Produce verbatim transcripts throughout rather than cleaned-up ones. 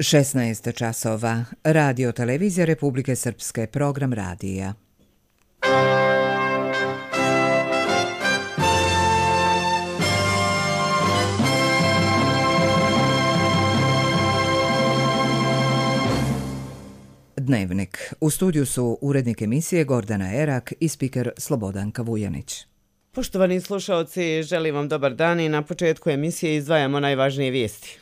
šesnaest časova. Radio televizija Republike Srpske, program radija. Dnevnik. U studiju su urednik emisije Gordana Erak i spiker Slobodanka Vujanić. Poštovani slušaoci, želim vam dobar dan i na početku emisije izdvajamo najvažnije vijesti.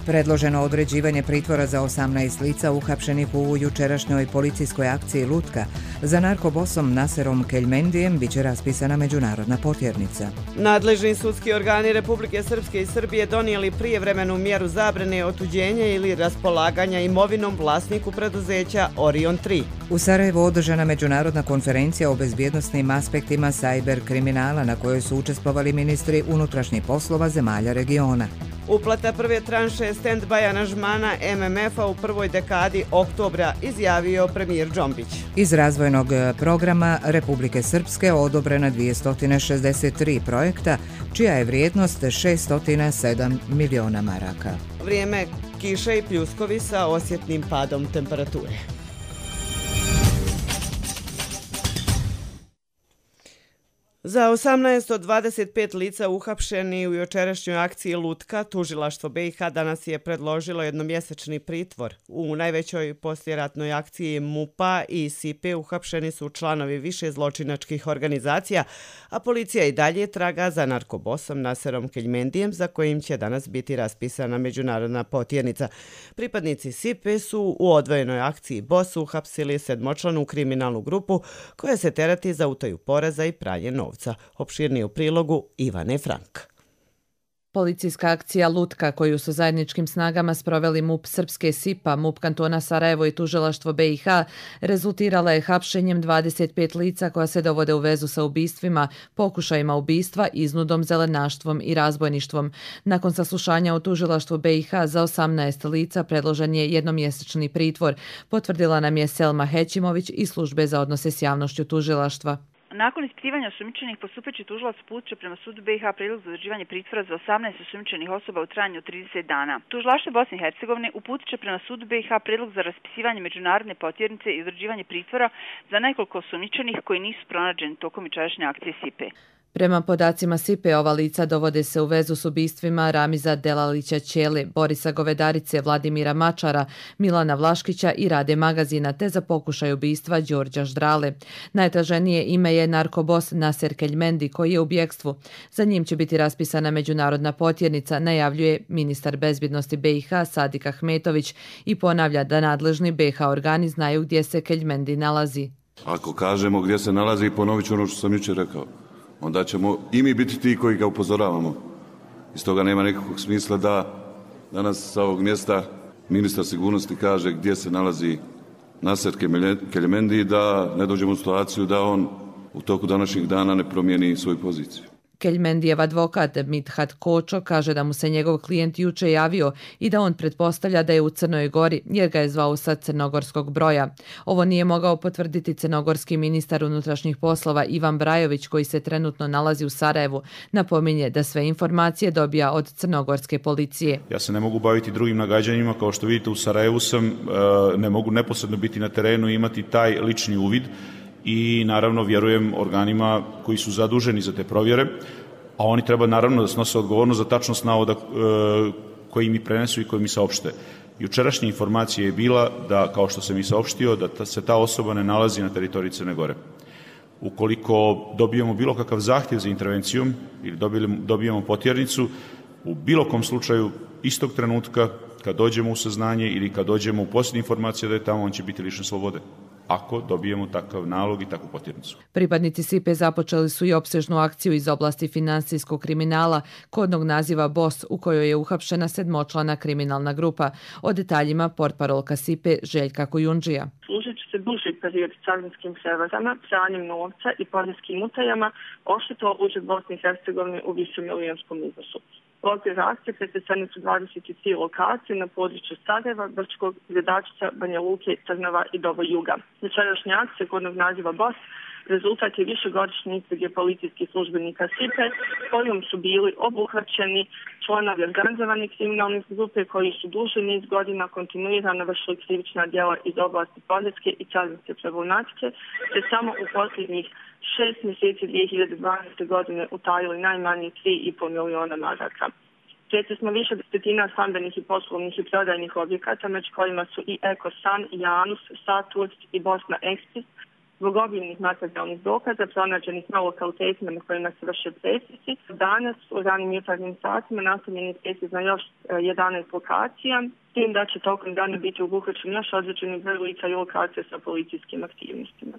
Predloženo određivanje pritvora za osamnaest lica uhapšenih u jučerašnjoj policijskoj akciji Lutka. Za narkobosom Naserom Keljmendijem biće raspisana međunarodna potjernica. Nadležni sudski organi Republike Srpske i Srbije donijeli prijevremenu mjeru zabrane otuđenja ili raspolaganja imovinom vlasniku preduzeća Orion tri. U Sarajevu održana međunarodna konferencija o bezbjednosnim aspektima sajber kriminala na kojoj su učestvovali ministri unutrašnjih poslova zemalja regiona. Uplata prve tranše stand-by aranžmana M M F-a u prvoj dekadi oktobra, izjavio premijer Džombić. Iz razvojnog programa Republike Srpske odobrena dvjesto šezdeset tri projekta, čija je vrijednost šesto sedam miliona maraka. Vrijeme kiše i pljuskovi sa osjetnim padom temperature. Za osamnaest od dvadeset pet lica uhapšeni u jučerašnjoj akciji Lutka, tužilaštvo B i H danas je predložilo jednomjesečni pritvor. U najvećoj poslijeratnoj akciji MUP-a i S I P-a uhapšeni su članovi više zločinačkih organizacija, a policija i dalje traga za narkobosom Naserom Keljmendijem, za kojim će danas biti raspisana međunarodna potjernica. Pripadnici S I P su u odvojenoj akciji BOS uhapsili sedmočlanu kriminalnu grupu koja se terati za utaju poreza i pranje novca. Opširnije u prilogu Ivane Frank. Policijska akcija Lutka, koju su zajedničkim snagama sproveli MUP Srpske S I P-a, MUP kantona Sarajevo i tužilaštvo B i H, rezultirala je hapšenjem dvadeset pet lica koja se dovode u vezu sa ubistvima, pokušajima ubistva, iznudom, zelenaštvom i razbojništvom. Nakon saslušanja u tužilaštvu B i H za osamnaest lica predložen je jednomjesečni pritvor, potvrdila nam je Selma Hećimović iz službe za odnose s javnošću tužilaštva. Nakon ispitivanja osumnjičenih, postupajući tužilac uputio prema sudu B i H predlog za određivanje pritvora za osamnaest osumnjičenih osoba u trajanju od trideset dana. Tužilaštvo Bosne i Hercegovine uputit će prema sudu B i H predlog za raspisivanje međunarodne potjernice i određivanje pritvora za nekoliko osumnjičenih koji nisu pronađeni tokom jučerašnje akcije S I P-a. Prema podacima S I P-a, ova lica dovode se u vezu s ubistvima Ramiza Delalića Ćele, Borisa Govedarice, Vladimira Mačara, Milana Vlaškića i Rade Magazina, te za pokušaj ubistva Đorđa Ždrale. Najtraženije ime je narkobos Naser Keljmendi, koji je u bjekstvu. Za njim će biti raspisana međunarodna potjernica, najavljuje ministar bezbjednosti B i H Sadik Ahmetović i ponavlja da nadležni B i H organi znaju gdje se Keljmendi nalazi. Ako kažemo gdje se nalazi, ponovit ću ono što sam jučer rekao. Onda ćemo i mi biti ti koji ga upozoravamo. Iz toga nema nekakvog smisla da danas sa ovog mjesta ministar sigurnosti kaže gdje se nalazi Naser Keljmendi, da ne dođemo u situaciju da on u toku današnjih dana ne promijeni svoju poziciju. Keljmendijev advokat Mithat Kočo kaže da mu se njegov klijent juče javio i da on pretpostavlja da je u Crnoj Gori jer ga je zvao sa crnogorskog broja. Ovo nije mogao potvrditi crnogorski ministar unutrašnjih poslova Ivan Brajović, koji se trenutno nalazi u Sarajevu. Napominje da sve informacije dobija od crnogorske policije. Ja se ne mogu baviti drugim nagađanjima, kao što vidite u Sarajevu sam, ne mogu neposredno biti na terenu i imati taj lični uvid. I naravno vjerujem organima koji su zaduženi za te provjere, a oni treba naravno da snose odgovornost za tačnost navoda e, koji mi prenesu i koji mi saopšte. Jučerašnja informacija je bila da, kao što sam i saopštio, da ta, se ta osoba ne nalazi na teritoriji Crne Gore. Ukoliko dobijemo bilo kakav zahtjev za intervencijom ili dobijemo potjernicu, u bilo kom slučaju istog trenutka kad dođemo u saznanje ili kad dođemo u posljednje informacije da je tamo, on će biti lišen slobode. Ako dobijemo takav nalog i takvu potjernicu. Pripadnici S I P-a započeli su i opsežnu akciju iz oblasti finansijskog kriminala, kodnog naziva BOS, u kojoj je uhapšena sedmočlana kriminalna grupa. O detaljima portparolka S I P-a Željka Kujundžija. Služit će se duži period carinskim prevarama, pranjem novca i poreskim utajama, oštetilo budžet Bosne i Hercegovine u višemilionskom iznosu. U okviru akcije pretresene su dvadeset tri lokacije na području Sarajeva, Brčkog, Gradačca, Banja Luke, Trnava i Dobo Juga. Jučerašnja akcija kodnog naziva BOS rezultat je višegodišnje istrage policijskih službenika S I P E kojom su bili obuhvaćeni članovi organizovane kriminalne grupe koji su duži niz godina kontinuirano vršili krivična djela iz oblasti poreske i carinske problematike, te samo u posljednjih šest mjeseci dvije hiljade dvanaeste. godine utajili najmanje tri i po miliona maraka. Svjesni smo više desetina stambenih i poslovnih i prodajnih objekata, među kojima su i Ekosan, Janus, Saturst i Bosna Ekspres, zbog obimnih materijalnih dokaza pronađenih na lokalitetima na kojima se vrše presjeci. Danas u ranim jutarnjim satima nastavljen je presjec na još jedanaest lokacija, s tim da će tokom dana biti obuhvaćen još određeni broj lica i lokacija sa policijskim aktivnostima.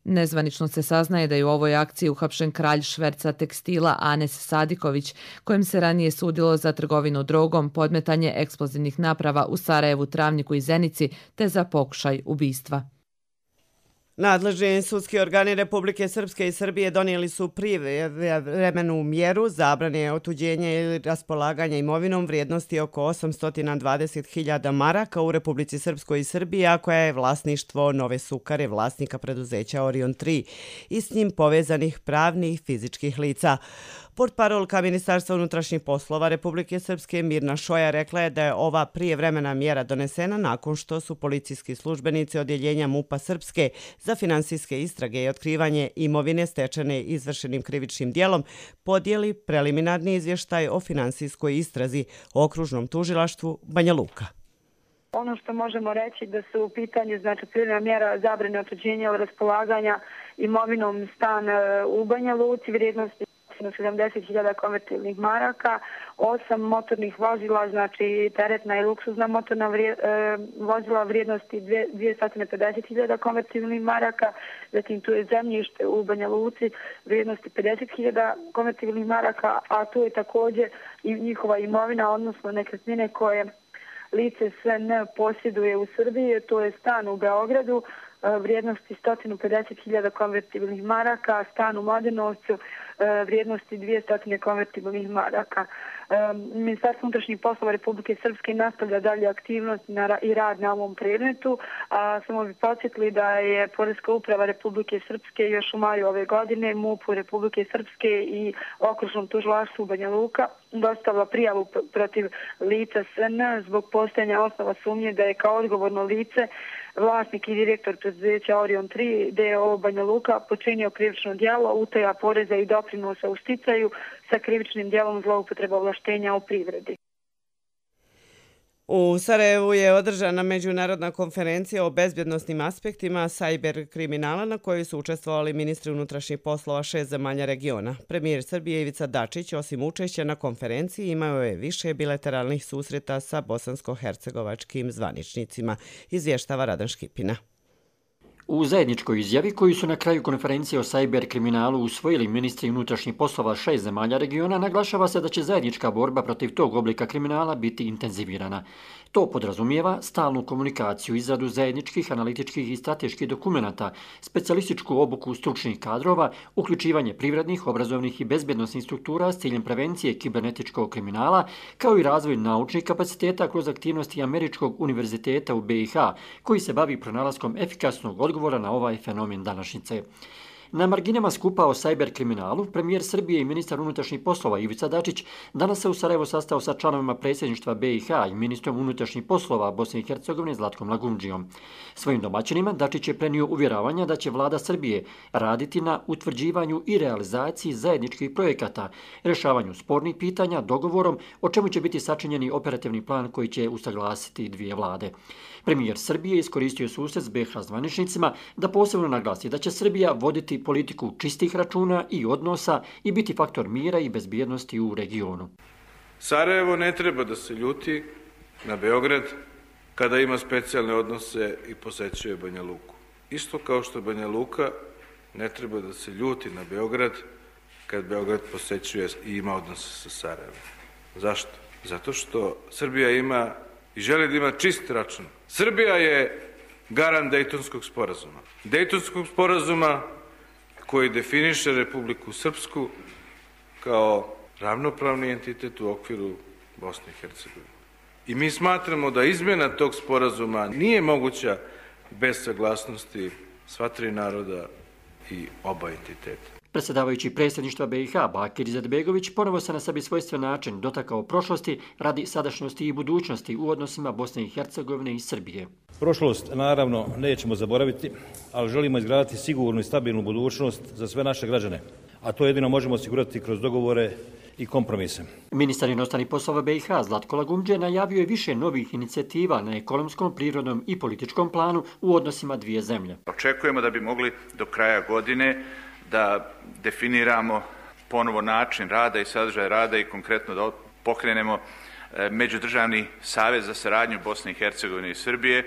Nezvanično se saznaje da je u ovoj akciji uhapšen kralj šverca tekstila Anes Sadiković, kojem se ranije sudilo za trgovinu drogom, podmetanje eksplozivnih naprava u Sarajevu, Travniku i Zenici, te za pokušaj ubistva. Nadležni sudski organi Republike Srpske i Srbije donijeli su privremenu mjeru zabrane otuđenja ili raspolaganja imovinom vrijednosti oko osamsto dvadeset hiljada maraka u Republici Srpskoj i Srbiji, a koja je vlasništvo Nove Sukare, vlasnika preduzeća Orion tri i s njim povezanih pravnih i fizičkih lica. Portparolka Ministarstva unutrašnjih poslova Republike Srpske Mirna Šoja rekla je da je ova prijevremena mjera donesena nakon što su policijski službenici odjeljenja MUP-a Srpske za finansijske istrage i otkrivanje imovine stečene izvršenim krivičnim dijelom podijeli preliminarni izvještaj o finansijskoj istrazi o okružnom tužilaštvu Banja Luka. Ono što možemo reći da su u pitanju znači privremena mjera zabrane otuđenja ili raspolaganja imovinom stan u Banja Luci vrijednosti sedamdeset hiljada konvertibilnih maraka, osam motornih vozila, znači teretna i luksuzna motorna vrije, e, vozila vrijednosti dvjesto pedeset hiljada konvertibilnih maraka, zatim tu je zemljište u Banja Luci vrijednosti pedeset hiljada konvertibilnih maraka, a tu je također i njihova imovina, odnosno nekretnine koje lice S N posjeduje u Srbiji, to je stan u Beogradu, vrijednosti sto pedeset hiljada konvertibilnih maraka, stan u Mladenovcu vrijednosti dvjesto konvertibilnih maraka. Ministarstvo unutrašnjih poslova Republike Srpske nastavlja dalje aktivnost i rad na ovom predmetu, a samo bi podsjetili da je Poreska uprava Republike Srpske još u maju ove godine MUP-u Republike Srpske i okružnom tužilaštvu Banja Luka dostavila prijavu protiv lica S N zbog postojanja osnova sumnje da je kao odgovorno lice vlasnik i direktor preduzeća Orion tri d o o Banja Luka počinio krivično djelo utaja poreza i doprinosa u sticaju sa krivičnim djelom zloupotreba ovlaštenja u privredi. U Sarajevu je održana međunarodna konferencija o bezbjednosnim aspektima cyber kriminala na kojoj su učestvovali ministri unutrašnjih poslova šest zemalja regiona. Premijer Srbije Ivica Dačić, osim učešća na konferenciji, imao je više bilateralnih susreta sa bosansko-hercegovačkim zvaničnicima, izvještava Radan Škipina. U zajedničkoj izjavi koju su na kraju konferencije o cyber kriminalu usvojili ministri unutrašnjih poslova šest zemalja regiona, naglašava se da će zajednička borba protiv tog oblika kriminala biti intenzivirana. To podrazumijeva stalnu komunikaciju, izradu zajedničkih analitičkih i strateških dokumenata, specijalističku obuku stručnih kadrova, uključivanje privrednih, obrazovnih i bezbjednosnih struktura s ciljem prevencije kibernetičkog kriminala, kao i razvoj naučnih kapaciteta kroz aktivnosti Američkog univerziteta u B i H, koji se bavi pronalaskom efikasnog odgovora na ovaj fenomen današnjice. Na marginama skupa o cyber kriminalu, premijer Srbije i ministar unutrašnjih poslova Ivica Dačić danas se u Sarajevu sastao sa članovima predsjedništva B i H i ministrom unutrašnjih poslova Bosne i Hercegovine Zlatkom Lagundžijom. Svojim domaćinima Dačić je prenio uvjeravanja da će vlada Srbije raditi na utvrđivanju i realizaciji zajedničkih projekata, rješavanju spornih pitanja dogovorom, o čemu će biti sačinjeni operativni plan koji će usaglasiti dvije vlade. Premijer Srbije iskoristio susret s B i H zvaničnicima da posebno naglasi da će Srbija voditi politiku čistih računa i odnosa i biti faktor mira i bezbjednosti u regionu. Sarajevo ne treba da se ljuti na Beograd kada ima specijalne odnose i posećuje Banja Luku. Isto kao što Banja Luka ne treba da se ljuti na Beograd kad Beograd posećuje i ima odnose sa Sarajevom. Zašto? Zato što Srbija ima i želi da ima čist račun. Srbija je garant Dejtonskog sporazuma. Dejtonskog sporazuma koji definiše Republiku Srpsku kao ravnopravni entitet u okviru Bosne i Hercegovine. I mi smatramo da izmjena tog sporazuma nije moguća bez saglasnosti sva tri naroda i oba entiteta. Predsjedavajući predsjedništva B i H Bakir Izetbegović ponovo se na sebi svojstven način dotakao prošlosti radi sadašnjosti i budućnosti u odnosima Bosne i Hercegovine i Srbije. Prošlost naravno nećemo zaboraviti, ali želimo izgraditi sigurnu i stabilnu budućnost za sve naše građane, a to jedino možemo osigurati kroz dogovore i kompromise. Ministar inostranih poslova B i H Zlatko Lagumdže najavio je više novih inicijativa na ekonomskom, prirodnom i političkom planu u odnosima dvije zemlje. Očekujemo da bi mogli do kraja godine da definiramo ponovo način rada i sadržaj rada i konkretno da pokrenemo Međudržavni savez za saradnju Bosne i Hercegovine i Srbije,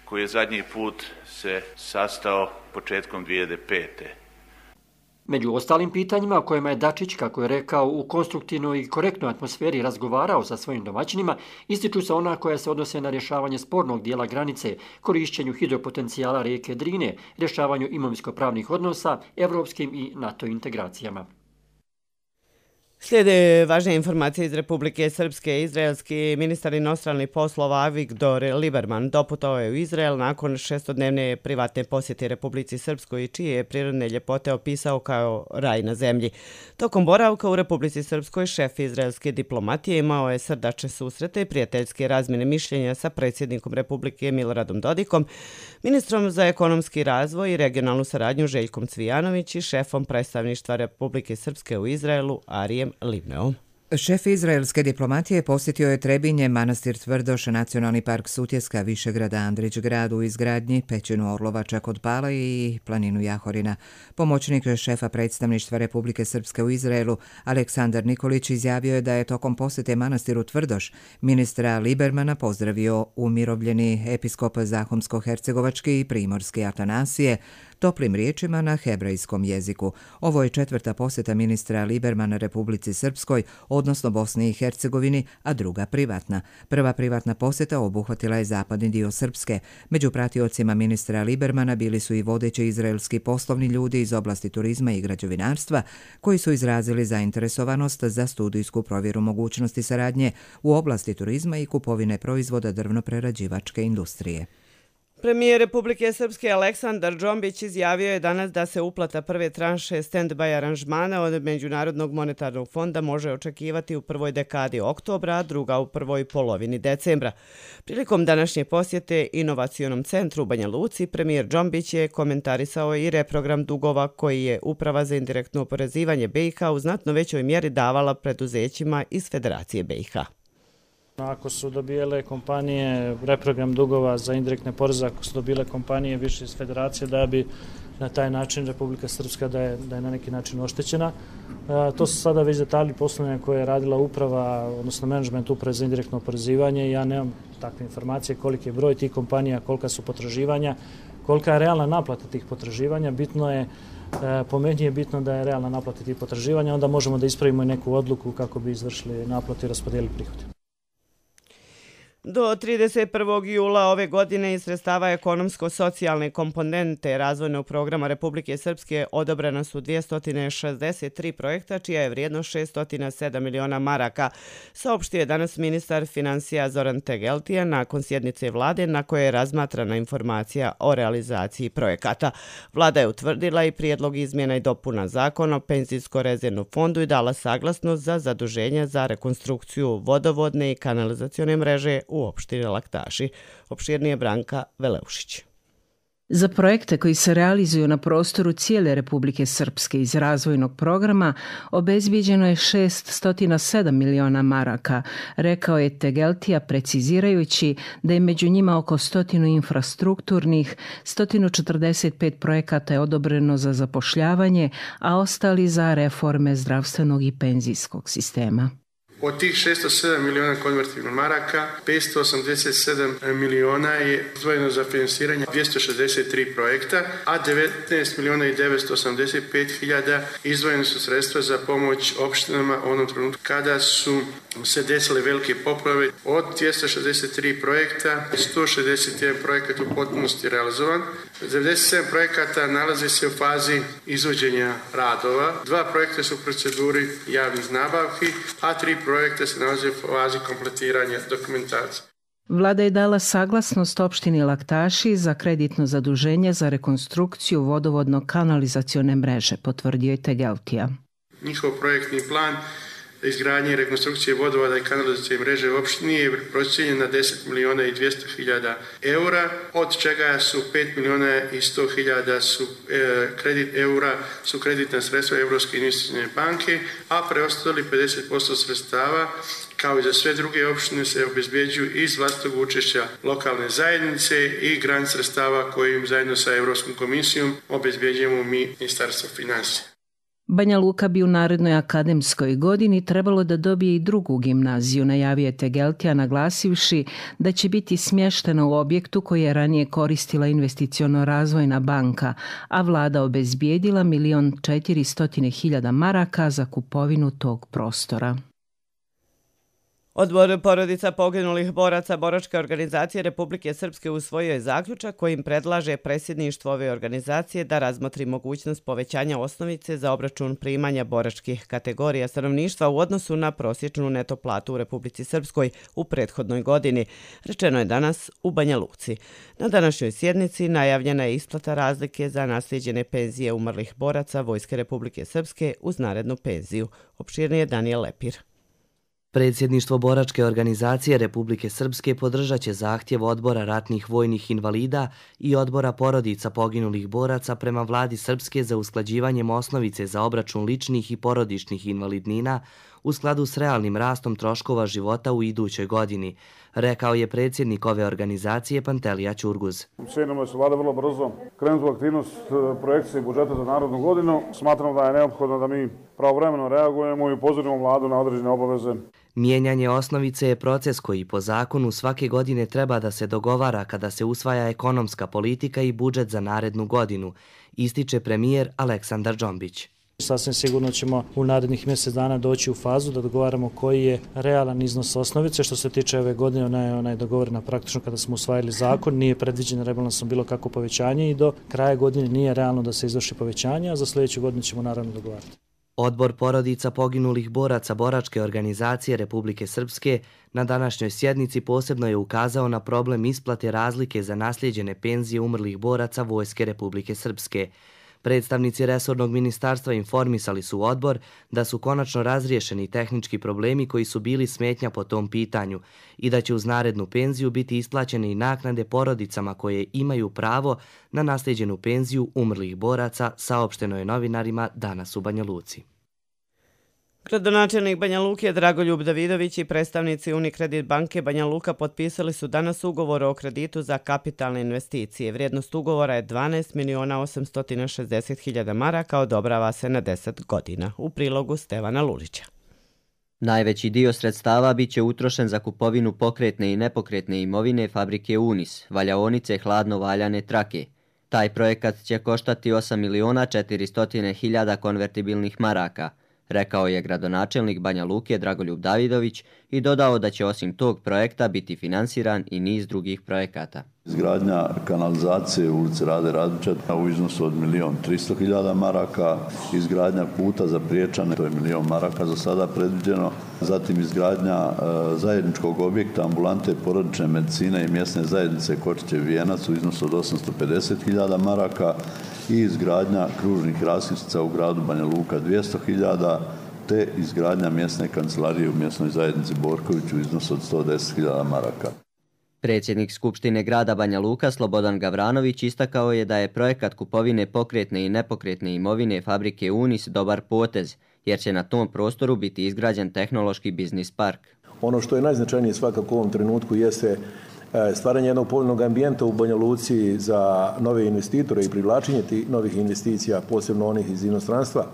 koji je zadnji put se sastao početkom dvije hiljade pete. Među ostalim pitanjima o kojima je Dačić, kako je rekao, u konstruktivnoj i korektnoj atmosferi razgovarao sa svojim domaćinima, ističu se ona koja se odnose na rješavanje spornog dijela granice, korišćenju hidropotencijala rijeke Drine, rješavanju imovinsko-pravnih odnosa, evropskim i NATO integracijama. Slijede važne informacije iz Republike Srpske. Izraelski ministar inostranih poslova Avigdor Lieberman doputovao je u Izrael nakon šestodnevne privatne posjete Republici Srpskoj, čije je prirodne ljepote opisao kao raj na zemlji. Tokom boravka u Republici Srpskoj šef izraelske diplomatije imao je srdačne susrete i prijateljske razmjene mišljenja sa predsjednikom Republike Miloradom Dodikom, ministrom za ekonomski razvoj i regionalnu saradnju Željkom Cvijanović i šefom predstavništva Republike Srpske u Izraelu Arijem Livneom. Šef izraelske diplomatije posjetio je Trebinje, manastir Tvrdoš, nacionalni park Sutjeska, Višegrada, Andrić grad u izgradnji, pećinu Orlovača kod Pala i planinu Jahorina. Pomoćnik šefa predstavništva Republike Srpske u Izraelu Aleksandar Nikolić izjavio je da je tokom posjete manastiru Tvrdoš ministra Liebermana pozdravio umirovljeni episkop Zahomsko-hercegovački i primorski Atanasije toplim riječima na hebrejskom jeziku. Ovo je četvrta posjeta ministra Liebermana Republici Srpskoj, odnosno Bosni i Hercegovini, a druga privatna. Prva privatna posjeta obuhvatila je zapadni dio Srpske. Među pratiocima ministra Liebermana bili su i vodeći izraelski poslovni ljudi iz oblasti turizma i građevinarstva, koji su izrazili zainteresovanost za studijsku provjeru mogućnosti saradnje u oblasti turizma i kupovine proizvoda drvno-prerađivačke industrije. Premijer Republike Srpske Aleksandar Džombić izjavio je danas da se uplata prve tranše stand-by aranžmana od Međunarodnog monetarnog fonda može očekivati u prvoj dekadi oktobra, a druga u prvoj polovini decembra. Prilikom današnje posjete inovacionom centru u Banja Luci, premijer Džombić je komentarisao i reprogram dugova koji je Uprava za indirektno oporezivanje B i H u znatno većoj mjeri davala preduzećima iz Federacije B i H. Ako su dobijele kompanije reprogram dugova za indirektne poreze, ako su dobile kompanije više iz Federacije, da bi na taj način Republika Srpska da je, da je na neki način oštećena. E, to su sada već detalji poslovanja koje je radila uprava, odnosno menadžment Uprave za indirektno oporezivanje. Ja nemam takve informacije koliki je broj tih kompanija, kolika su potraživanja, kolika je realna naplata tih potraživanja. Bitno je, e, po meni je bitno da je realna naplata tih potraživanja, onda možemo da ispravimo i neku odluku kako bi izvršili naplatu i raspodijelili prihode. Do trideset prvog jula ove godine iz sredstava ekonomsko-socijalne komponente razvojnog programa Republike Srpske odobrena su dvjesto šezdeset tri projekta, čija je vrijednost šesto sedam miliona maraka, saopštio je danas ministar financija Zoran Tegeltija nakon sjednice vlade na kojoj je razmatrana informacija o realizaciji projekata. Vlada je utvrdila i prijedlog izmjena i dopuna zakona o penzijsko-rezervnom fondu i dala saglasnost za zaduženje za rekonstrukciju vodovodne i kanalizacione mreže u opštini Laktaši. Opširnije Branka Veleušić. Za projekte koji se realizuju na prostoru cijele Republike Srpske iz razvojnog programa obezbijeđeno je šesto sedam miliona maraka, rekao je Tegeltija precizirajući da je među njima oko stotinu infrastrukturnih, sto četrdeset pet projekata je odobreno za zapošljavanje, a ostali za reforme zdravstvenog i penzijskog sistema. Od tih šesto sedam miliona konvertibilnih maraka, petsto osamdeset sedam miliona je izdvojeno za finansiranje dvjesto šezdeset tri projekta, a devetnaest miliona i devetsto osamdeset pet hiljada izdvojene su sredstva za pomoć opštinama u onom trenutku kada su se desile velike poplave. Od dvjesto šezdeset tri projekta, sto šezdeset jedan projekat u potpunosti realizovan, devedeset sedam projekata nalazi se u fazi izvođenja radova, dva projekta su u proceduri javnih nabavki, a tri projekta se nalaze u fazi kompletiranja dokumentacije. Vlada je dala saglasnost opštini Laktaši za kreditno zaduženje za rekonstrukciju vodovodno-kanalizacione mreže, potvrdio je Tegeltija. Njihov projektni plan izgradnje i rekonstrukcije vodovoda i kanalizacione mreže u opštini je procijenjen na deset miliona i dvjesto hiljada eura, od čega su pet miliona i sto hiljada su e, kredit eura su kreditna sredstva Europske investicione banke, a preostali pedeset posto sredstava kao i za sve druge opštine se obezbjeđuju iz vlastitog učešća lokalne zajednice i grant sredstava kojim zajedno sa Europskom komisijom obezbjeđujemo mi Ministarstvo financija. Banja Luka bi u narednoj akademskoj godini trebalo da dobije i drugu gimnaziju, najavio je Tegeltija naglasivši da će biti smještena u objektu koji je ranije koristila investiciono-razvojna banka, a vlada obezbijedila milion četiristotina hiljada maraka za kupovinu tog prostora. Odbor porodica poginulih boraca Boračke organizacije Republike Srpske usvojio je zaključak kojim predlaže predsjedništvo ove organizacije da razmotri mogućnost povećanja osnovice za obračun primanja boračkih kategorija stanovništva u odnosu na prosječnu neto platu u Republici Srpskoj u prethodnoj godini, rečeno je danas u Banja Luci. Na današnjoj sjednici najavljena je isplata razlike za naslijeđene penzije umrlih boraca Vojske Republike Srpske uz narednu penziju. Opširnije Daniel Lepir. Predsjedništvo Boračke organizacije Republike Srpske podržat će zahtjev Odbora ratnih vojnih invalida i Odbora porodica poginulih boraca prema vladi Srpske za usklađivanjem osnovice za obračun ličnih i porodičnih invalidnina u skladu s realnim rastom troškova života u idućoj godini, rekao je predsjednik ove organizacije Pantelija Ćurguz. Cijenimo da se vlada vrlo brzo krenula aktivnost projekcije budžeta za narodnu godinu. Smatramo da je neophodno da mi pravovremeno reagujemo i upozorimo vladu na određene obaveze. Mijenjanje osnovice je proces koji po zakonu svake godine treba da se dogovara kada se usvaja ekonomska politika i budžet za narednu godinu, ističe premijer Aleksandar Džombić. Sasvim sigurno ćemo u narednih mjesec dana doći u fazu da dogovaramo koji je realan iznos osnovice. Što se tiče ove godine, ona je, ona je dogovorena praktično kada smo usvajali zakon, nije predviđeno rebalansom bilo kako povećanje i do kraja godine nije realno da se izvrši povećanje, a za sljedeću godinu ćemo naravno dogovarati. Odbor porodica poginulih boraca Boračke organizacije Republike Srpske na današnjoj sjednici posebno je ukazao na problem isplate razlike za naslijeđene penzije umrlih boraca Vojske Republike Srpske. Predstavnici resornog ministarstva informisali su odbor da su konačno razriješeni tehnički problemi koji su bili smetnja po tom pitanju i da će uz narednu penziju biti isplaćene i naknade porodicama koje imaju pravo na naslijeđenu penziju umrlih boraca, saopšteno je novinarima danas u Banja Luci. Gradonačelnik Banja Luke Dragoljub Davidović i predstavnici Unikredit banke Banja Luka potpisali su danas ugovor o kreditu za kapitalne investicije. Vrijednost ugovora je dvanaest miliona osamsto šezdeset hiljada maraka, odobrava se na deset godina. U prilogu Stevana Lulića. Najveći dio sredstava bit će utrošen za kupovinu pokretne i nepokretne imovine fabrike Unis, valjaonice hladno valjane trake. Taj projekat će koštati osam miliona četiristo hiljada konvertibilnih maraka, rekao je gradonačelnik Banja Luke Dragoljub Davidović i dodao da će osim tog projekta biti finansiran i niz drugih projekata. Izgradnja kanalizacije u ulici Rade Radića u iznosu od milion tristo hiljada maraka, izgradnja puta za Priječane, to je milion maraka za sada predviđeno, zatim izgradnja e, zajedničkog objekta ambulante porodične medicine i mjesne zajednice Kočićev Vijenac u iznosu od osamsto pedeset hiljada maraka i izgradnja kružnih raskrsnica u gradu Banja Luka dvjesto hiljada, te izgradnja mjesne kancelarije u mjesnoj zajednici Borković u iznosu od sto deset hiljada maraka. Predsjednik Skupštine grada Banja Luka Slobodan Gavranović istakao je da je projekat kupovine pokretne i nepokretne imovine fabrike Unis dobar potez, jer će na tom prostoru biti izgrađen tehnološki biznis park. Ono što je najznačajnije svakako u ovom trenutku jeste stvaranje jednog povoljnog ambijenta u Banja Luci za nove investitore i privlačenje tih novih investicija, posebno onih iz inostranstva.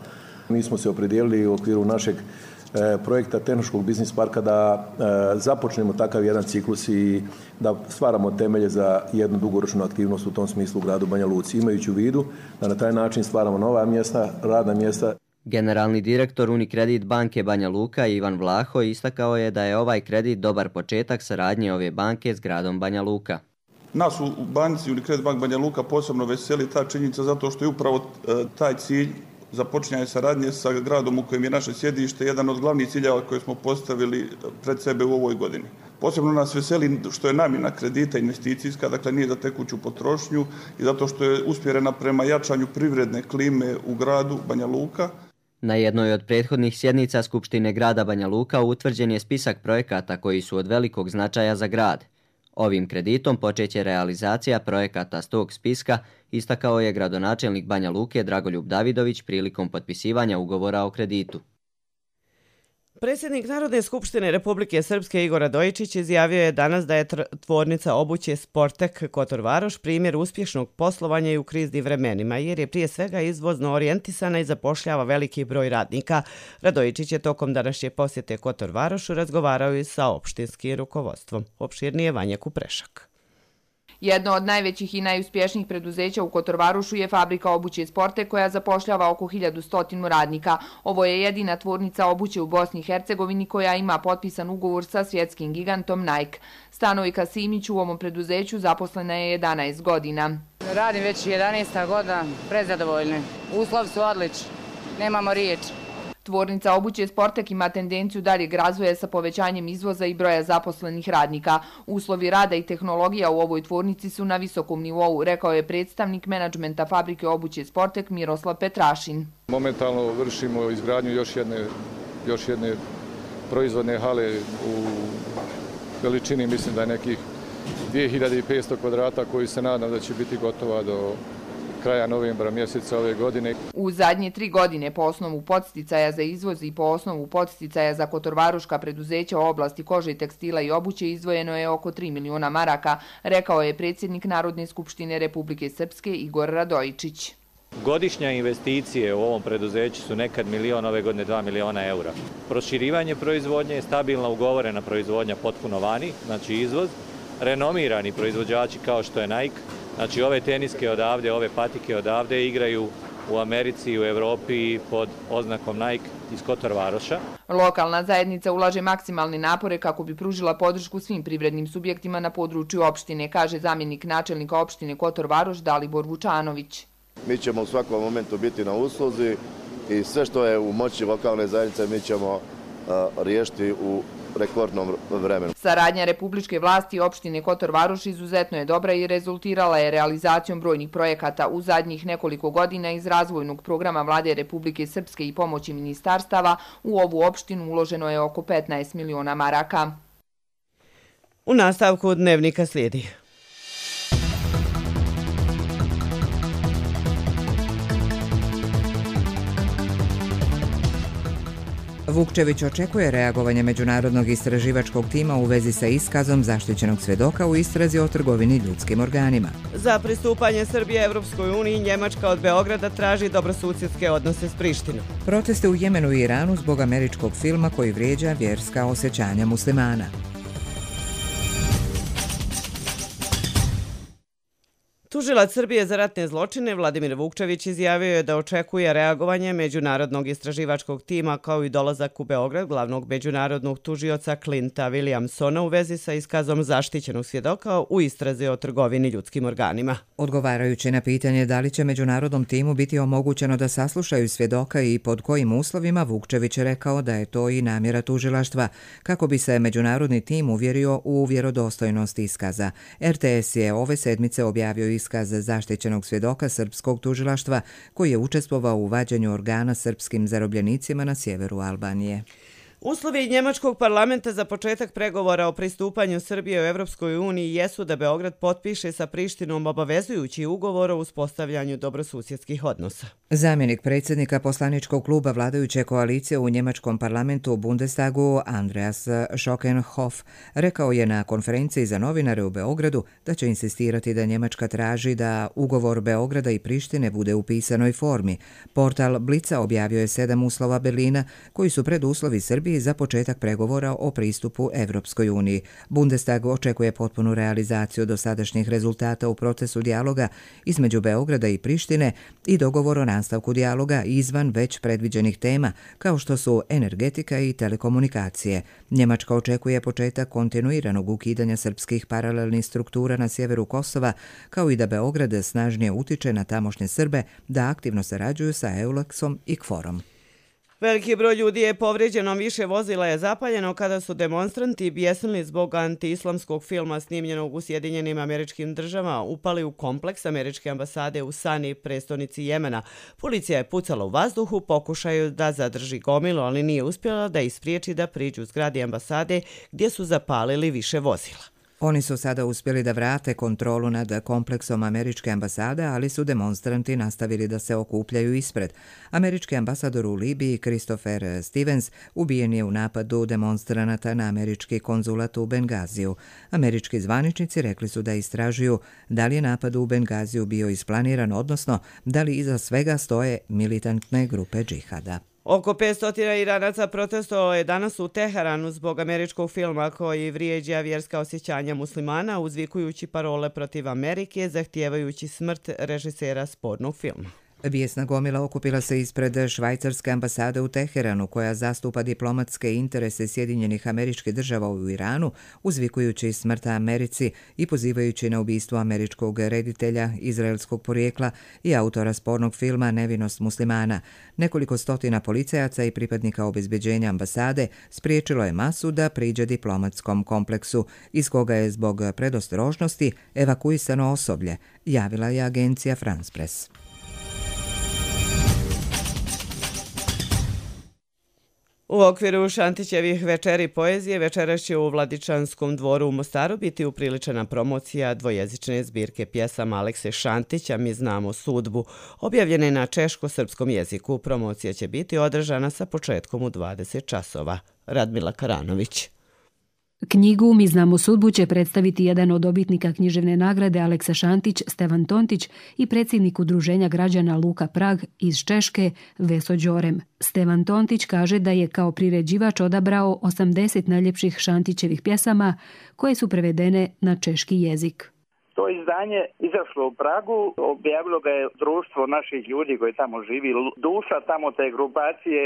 Mi smo se opredijelili u okviru našeg projekta tehnološkog biznis parka da započnemo takav jedan ciklus i da stvaramo temelje za jednu dugoročnu aktivnost u tom smislu u gradu Banja Luci, imajući u vidu da na taj način stvaramo nova mjesta, radna mjesta. Generalni direktor Unikredit banke Banja Luka Ivan Vlaho istakao je da je ovaj kredit dobar početak saradnje ove banke s gradom Banja Luka. Nas u banci Unikredit bank Banja Luka posebno veseli ta činjenica zato što je upravo taj cilj započinjanje saradnje sa gradom u kojem je naše sjedište jedan od glavnih ciljeva koje smo postavili pred sebe u ovoj godini. Posebno nas veseli što je namjena kredita investicijska, dakle nije za tekuću potrošnju i zato što je usmjerena prema jačanju privredne klime u gradu Banja Luka. Na jednoj od prethodnih sjednica Skupštine grada Banja Luka utvrđen je spisak projekata koji su od velikog značaja za grad. Ovim kreditom počeće realizacija projekata s tog spiska, istakao je gradonačelnik Banja Luke Dragoljub Davidović prilikom potpisivanja ugovora o kreditu. Predsjednik Narodne skupštine Republike Srpske Igor Radojičić izjavio je danas da je tvornica obuće Sportek Kotor Varoš primjer uspješnog poslovanja i u kriznim vremenima, jer je prije svega izvozno orijentisana i zapošljava veliki broj radnika. Radojičić je tokom današnje posjete Kotor Varošu razgovarao i sa opštinskim rukovodstvom. Opširnije Vanja Kuprešak. Jedno od najvećih i najuspješnijih preduzeća u Kotor Varošu je fabrika obuće Sportek koja zapošljava oko hiljadu stotinu radnika. Ovo je jedina tvornica obuće u Bosni i Hercegovini koja ima potpisan ugovor sa svjetskim gigantom Nike. Stanojka Simić u ovom preduzeću zaposlena je jedanaest godina. Radim već jedanaesta godina, prezadovoljni. Uslovi su odlični, nemamo riječ. Tvornica obuće Sportek ima tendenciju daljeg razvoja sa povećanjem izvoza i broja zaposlenih radnika. Uslovi rada i tehnologija u ovoj tvornici su na visokom nivou, rekao je predstavnik menadžmenta fabrike obuće Sportek Miroslav Petrašin. Momentalno vršimo izgradnju još jedne, još jedne proizvodne hale u veličini, mislim da je nekih dvije hiljade petsto kvadrata koji se nadam da će biti gotova do kraja novembra mjeseca ove godine. U zadnje tri godine po osnovu podsticaja za izvoz i po osnovu podsticaja za kotorvaruška preduzeća u oblasti kože, tekstila i obuće izdvojeno je oko tri miliona maraka, rekao je predsjednik Narodne skupštine Republike Srpske Igor Radojičić. Godišnja investicije u ovom preduzeću su nekad milion, ove godine dva miliona eura. Proširivanje proizvodnje, stabilna ugovorena proizvodnja potpuno vani, znači izvoz, renomirani proizvođači kao što je Nike. Znači ove teniske odavde, ove patike odavde igraju u Americi i u Evropi pod oznakom Nike iz Kotor Varoša. Lokalna zajednica ulaže maksimalne napore kako bi pružila podršku svim privrednim subjektima na području opštine, kaže zamjenik načelnika opštine Kotor Varoš Dalibor Vučanović. Mi ćemo u svakom momentu biti na usluzi i sve što je u moći lokalne zajednice mi ćemo uh, riješiti u rekordnom vremenu. Saradnja republičke vlasti i opštine Kotor Varoš izuzetno je dobra i rezultirala je realizacijom brojnih projekata. U zadnjih nekoliko godina iz razvojnog programa Vlade Republike Srpske i pomoći ministarstava u ovu opštinu uloženo je oko petnaest miliona maraka. U nastavku dnevnika slijedi. Vukčević očekuje reagovanje međunarodnog istraživačkog tima u vezi sa iskazom zaštićenog svedoka u istrazi o trgovini ljudskim organima. Za pristupanje Srbije Evropskoj uniji Njemačka od Beograda traži dobrosusjedske odnose s Prištinom. Proteste u Jemenu i Iranu zbog američkog filma koji vrijeđa vjerska osjećanja muslimana. Tužilac Srbije za ratne zločine Vladimir Vukčević izjavio je da očekuje reagovanje međunarodnog istraživačkog tima kao i dolazak u Beograd glavnog međunarodnog tužioca Clinta Williamsona u vezi sa iskazom zaštićenog svjedoka u istrazi o trgovini ljudskim organima. Odgovarajući na pitanje da li će međunarodnom timu biti omogućeno da saslušaju svjedoka i pod kojim uslovima, Vukčević je rekao da je to i namjera tužilaštva kako bi se međunarodni tim uvjerio u vjerodostojnost iskaza. er te es je ove sedmice objavio iskaz zaštićenog svjedoka srpskog tužilaštva koji je učestvovao u vađenju organa srpskim zarobljenicima na sjeveru Albanije. Uslovi njemačkog parlamenta za početak pregovora o pristupanju Srbije u Evropskoj uniji jesu da Beograd potpiše sa Prištinom obavezujući ugovor o uspostavljanju dobrosusjedskih odnosa. Zamjenik predsjednika poslaničkog kluba vladajuće koalicije u njemačkom parlamentu Bundestagu Andreas Schockenhoff rekao je na konferenciji za novinare u Beogradu da će insistirati da Njemačka traži da ugovor Beograda i Prištine bude u pisanoj formi. Portal Blica objavio je sedam uslova Berlina koji su preduslovi Srbije za početak pregovora o pristupu Evropskoj uniji. Bundestag očekuje potpunu realizaciju dosadašnjih rezultata u procesu dijaloga između Beograda i Prištine i dogovor o nastavku dijaloga izvan već predviđenih tema, kao što su energetika i telekomunikacije. Njemačka očekuje početak kontinuiranog ukidanja srpskih paralelnih struktura na sjeveru Kosova, kao i da Beograd snažnije utiče na tamošnje Srbe da aktivno sarađuju sa Eulaksom i Kforom. Veliki broj ljudi je povrijeđeno, više vozila je zapaljeno kada su demonstranti bjesnili zbog antiislamskog filma snimljenog u Sjedinjenim Američkim Državama upali u kompleks američke ambasade u Sani, prestonici Jemena. Policija je pucala u vazduhu, pokušaju da zadrži gomilu, ali nije uspjela da ispriječi da priđu zgradi ambasade gdje su zapalili više vozila. Oni su sada uspjeli da vrate kontrolu nad kompleksom američke ambasade, ali su demonstranti nastavili da se okupljaju ispred. Američki ambasador u Libiji, Christopher Stevens, ubijen je u napadu demonstranata na američki konzulat u Bengaziju. Američki zvaničnici rekli su da istražuju da li je napad u Bengaziju bio isplaniran, odnosno da li iza svega stoje militantne grupe džihada. Oko petsto Iranaca protestovalo je danas u Teheranu zbog američkog filma koji vrijeđa vjerska osjećanja muslimana, uzvikujući parole protiv Amerike, zahtijevajući smrt režisera spornog filma. Bijesna gomila okupila se ispred švajcarske ambasade u Teheranu, koja zastupa diplomatske interese Sjedinjenih Američkih Država u Iranu, uzvikujući smrt Americi i pozivajući na ubistvo američkog reditelja izraelskog porijekla i autora spornog filma Nevinost muslimana. Nekoliko stotina policajaca i pripadnika obezbeđenja ambasade spriječilo je masu da priđe diplomatskom kompleksu, iz koga je zbog predostrožnosti evakuisano osoblje, javila je agencija France Press. U okviru Šantićevih večeri poezije večeras će u Vladičanskom dvoru u Mostaru biti upriličena promocija dvojezične zbirke pjesama Alekse Šantića Mi znamo sudbu, objavljene na češko-srpskom jeziku. Promocija će biti održana sa početkom u dvadeset časova. Radmila Karanović. Knjigu Mi znamo sudbu će predstaviti jedan od dobitnika književne nagrade Aleksa Šantić, Stevan Tontić i predsjednik udruženja građana Luka Prag iz Češke, Veso Đorem. Stevan Tontić kaže da je kao priređivač odabrao osamdeset najljepših Šantićevih pjesama koje su prevedene na češki jezik. To izdanje izašlo u Pragu, objavilo ga je društvo naših ljudi koji tamo živi, duša tamo te grupacije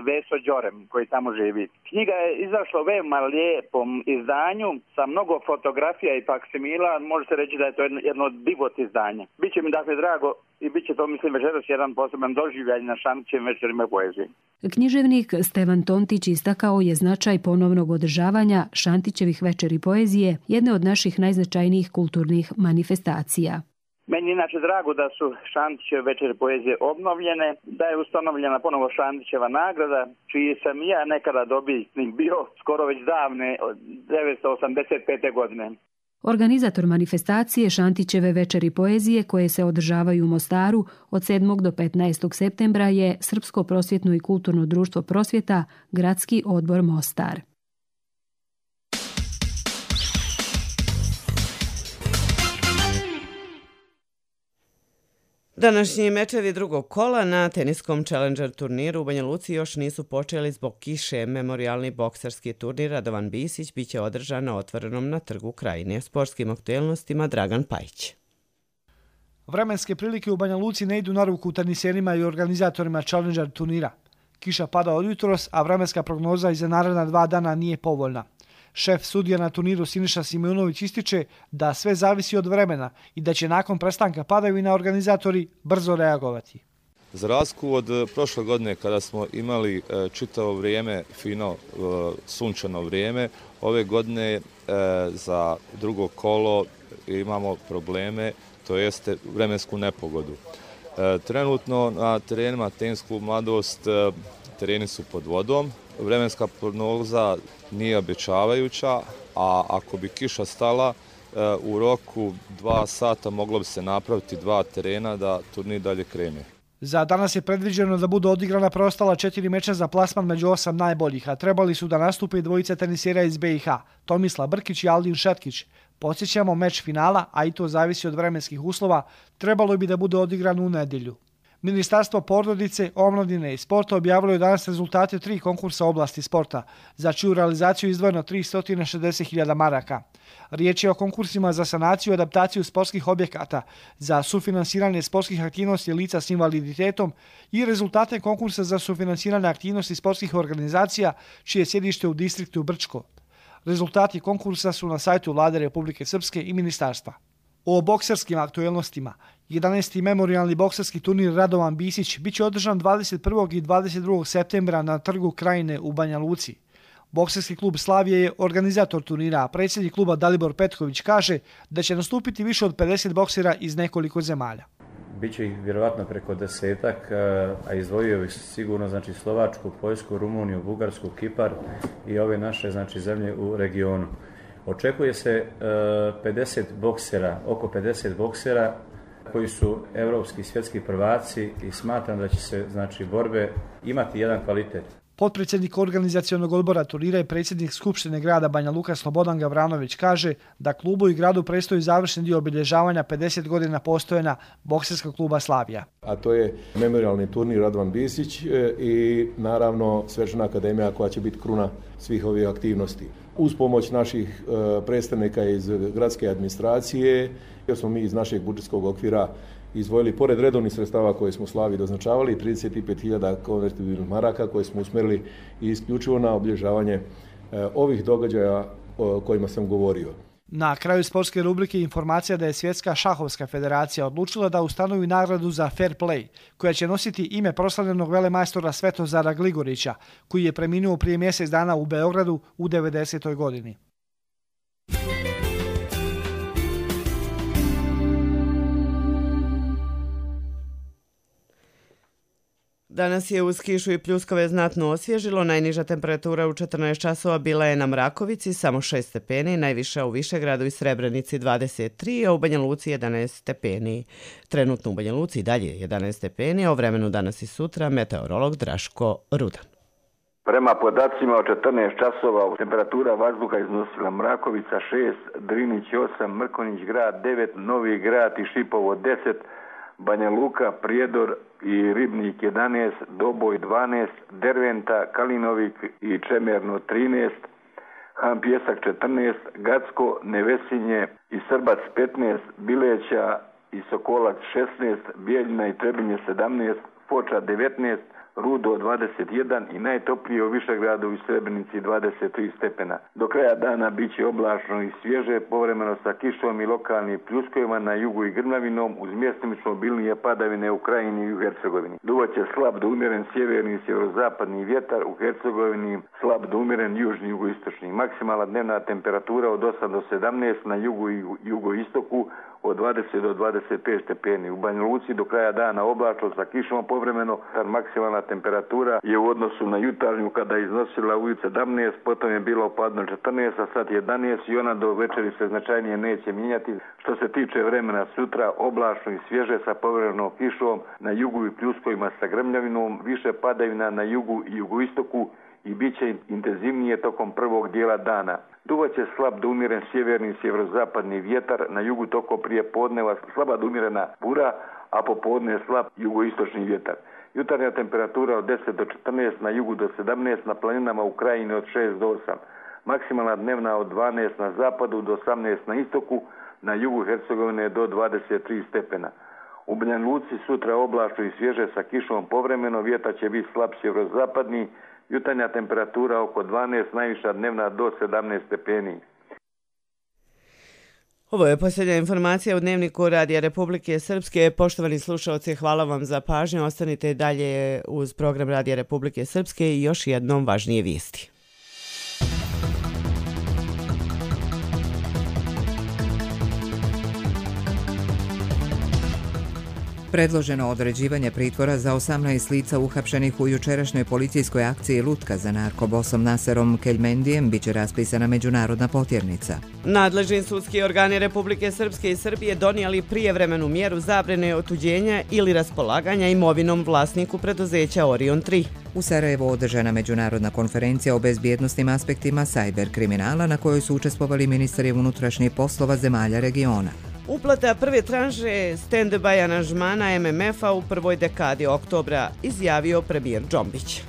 Veso Đorem koji tamo živi. Knjiga je izašla u veoma lijepom izdanju sa mnogo fotografija i faksimila, može se reći da je to jedno od divot izdanja. Biće mi dakle drago i bit će to, mislim, večeras jedan poseban doživljaj na Šantićevim večerima poezije. Književnik Stevan Tontić istakao je značaj ponovnog održavanja Šantićevih večeri poezije, jedne od naših najznačajnijih kulturnih manifestacija. Meni je inače drago da su Šantićeve večeri poezije obnovljene, da je ustanovljena ponovo Šantićeva nagrada, čiji sam ja nekada dobitnik bio skoro već davne, devetsto osamdeset pete. godine. Organizator manifestacije Šantićeve večeri poezije, koje se održavaju u Mostaru od sedmog do petnaestog septembra, je Srpsko prosvjetno i kulturno društvo Prosvjeta, Gradski odbor Mostar. Današnji mečevi drugog kola na teniskom Challenger turniru u Banja Luci još nisu počeli zbog kiše. Memorialni bokserski turnir Radovan Bisić biće održan na otvorenom na Trgu Krajine. Sportskim aktuelnostima Dragan Pajić. Vremenske prilike u Banja Luci ne idu na ruku teniserima i organizatorima Challenger turnira. Kiša pada od jutros, a vremenska prognoza i za naredna dva dana nije povoljna. Šef sudija na turniru Siniša Simonović ističe da sve zavisi od vremena i da će nakon prestanka padavina organizatori brzo reagovati. Za razliku od prošle godine kada smo imali čitavo vrijeme fino sunčano vrijeme, ove godine za drugo kolo imamo probleme, to jeste vremensku nepogodu. Trenutno na terenima Tenis klub Mladost tereni su pod vodom, vremenska prognoza nije obećavajuća, a ako bi kiša stala u roku dva sata moglo bi se napraviti dva terena da turnir dalje krene. Za danas je predviđeno da budu odigrana preostala četiri meča za plasman među osam najboljih, a trebali su da nastupe i dvojice tenisera iz be i ha, Tomislav Brkić i Aldin Šetkić. Podsjećamo, meč finala, a i to zavisi od vremenskih uslova, trebalo bi da bude odigran u nedjelju. Ministarstvo porodice, omladine i sporta objavilo je danas rezultate tri konkursa oblasti sporta, za čiju realizaciju izdvojeno tristo šezdeset hiljada maraka. Riječ je o konkursima za sanaciju i adaptaciju sportskih objekata, za sufinansiranje sportskih aktivnosti lica s invaliditetom i rezultate konkursa za sufinansiranje aktivnosti sportskih organizacija, čije je sjedište u distriktu Brčko. Rezultati konkursa su na sajtu Vlade Republike Srpske i ministarstva. O bokserskim aktuelnostima jedanaesti memorijalni bokserski turnir Radovan Bisić bit će održan dvadeset prvog i dvadeset drugog septembra na Trgu Krajine u Banja Luci. Bokserski klub Slavije je organizator turnira, a predsjednik kluba Dalibor Petković kaže da će nastupiti više od pedeset boksera iz nekoliko zemalja. Biće ih vjerovatno preko desetak, a izdvojio bih sigurno znači Slovačku, Poljsku, Rumuniju, Bugarsku, Kipar i ove naše znači zemlje u regionu. Očekuje se pedeset boksera, oko pedeset boksera koji su evropski i svjetski prvaci i smatram da će se znači borbe imati jedan kvalitet. Potpredsjednik organizacionog odbora turnira i predsjednik Skupštine grada Banja Luka Slobodan Gavranović kaže da klubu i gradu predstoji završni dio obilježavanja pedeset godina postojanja bokserskog kluba Slavija. A to je memorijalni turnir Radovan Bisić i naravno Svečana akademija koja će biti kruna svih ovih aktivnosti. Uz pomoć naših predstavnika iz gradske administracije, jer smo mi iz našeg budžetskog okvira izdvojili, pored redovnih sredstava koje smo Slaviji doznačavali, trideset pet hiljada konvertibilnih maraka koje smo usmjerili isključivo na obilježavanje ovih događaja o kojima sam govorio. Na kraju sportske rubrike informacija da je Svjetska šahovska federacija odlučila da ustanovi nagradu za fair play, koja će nositi ime proslavljenog velemajstora Svetozara Gligorića, koji je preminuo prije mjesec dana u Beogradu u devedesetoj godini. Danas je uz kišu i pljuskove znatno osvježilo. Najniža temperatura u četrnaest časova bila je na Mrakovici, samo šest stepeni, najviša u Višegradu i Srebrenici dvadeset tri, a u Banja Luci jedanaest stepeni. Trenutno u Banja Luci dalje jedanaest stepeni, a o vremenu danas i sutra meteorolog Draško Rudan. Prema podacima od četrnaest časova temperatura vazduha iznosila Mrakovica šest, Drinić osam, Mrkonjić grad devet, Novi grad i Šipovo deset, Banja Luka, Prijedor i Ribnik jedanaest, Doboj dvanaest, Derventa, Kalinovik i Čemerno trinaest, Han Pjesak četrnaest, Gacko, Nevesinje i Srbac petnaest, Bileća i Sokolac šesnaest, Bijeljina i Trebinje sedamnaest, Foča devetnaest, Rudo dvadeset jedan i najtoplije u Višegradu i Srebrenici dvadeset tri stepena. Do kraja dana bit će oblačno i svježe, povremeno sa kišom i lokalnim pljuskovima na jugu i grmljavinom, uz mjestimično obilnije padavine u Krajini i u Hercegovini. Duvaće slab do umjeren sjeverni i sjeverozapadni vjetar, u Hercegovini slab do umjeren južni i jugoistočni. Maksimalna dnevna temperatura od osam do sedamnaest, na jugu i jugoistoku od dvadeset do dvadeset pet stepeni. U Banja Luci do kraja dana oblačno sa kišom povremeno, maksimalna temperatura je u odnosu na jutarnju kada je iznosila u sedamnaest, potom je bilo opadno četrnaest, a sad jedanaest i ona do večeri se značajnije neće mijenjati. Što se tiče vremena sutra, oblačno i svježe sa povremenom kišom, na jugu i pljuskovima sa grmljavinom, više padavina na jugu i jugoistoku i bit će intenzivnije tokom prvog dijela dana. Duvaće slab do umjeren sjeverni i sjeverozapadni vjetar, na jugu tokom prije podneva slaba do umjerena bura, a popodne slab jugoistočni vjetar. Jutarnja temperatura od deset do četrnaest, na jugu do sedamnaest, na planinama u Krajini od šest do osam. Maksimalna dnevna od dvanaest na zapadu do osamnaest na istoku, na jugu Hercegovine do dvadeset tri stepena. U Banja Luci sutra oblačno i svježe sa kišom povremeno, vjetar će biti slab sjeverozapadni, jutarnja temperatura oko dvanaest, najviša dnevna do sedamnaest stepeni. Ovo je posljednja informacija u Dnevniku Radija Republike Srpske. Poštovani slušalci, hvala vam za pažnju. Ostanite dalje uz program Radija Republike Srpske i još jednom važnije vijesti. Predloženo određivanje pritvora za osamnaest lica uhapšenih u jučerašnjoj policijskoj akciji Lutka za narkobosom Naserom Keljmendijem biće raspisana međunarodna potjernica. Nadležni sudski organi Republike Srpske i Srbije donijeli prijevremenu mjeru zabrane otuđenja ili raspolaganja imovinom vlasniku preduzeća Orion tri. U Sarajevu održana međunarodna konferencija o bezbjednosnim aspektima sajber kriminala na kojoj su učestvovali ministri unutrašnjih poslova zemalja regiona. Uplata prve tranše stand-by aranžmana M M F-a u prvoj dekadi oktobra, izjavio premijer Džombić.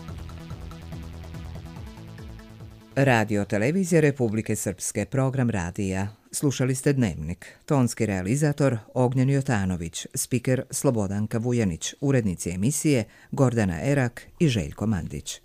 Radio televizija Republike Srpske, program radija. Slušali ste Dnevnik. Tonski realizator Ognjen Jotanović, spiker Slobodanka Vujanić, urednici emisije Gordana Erak i Željko Mandić.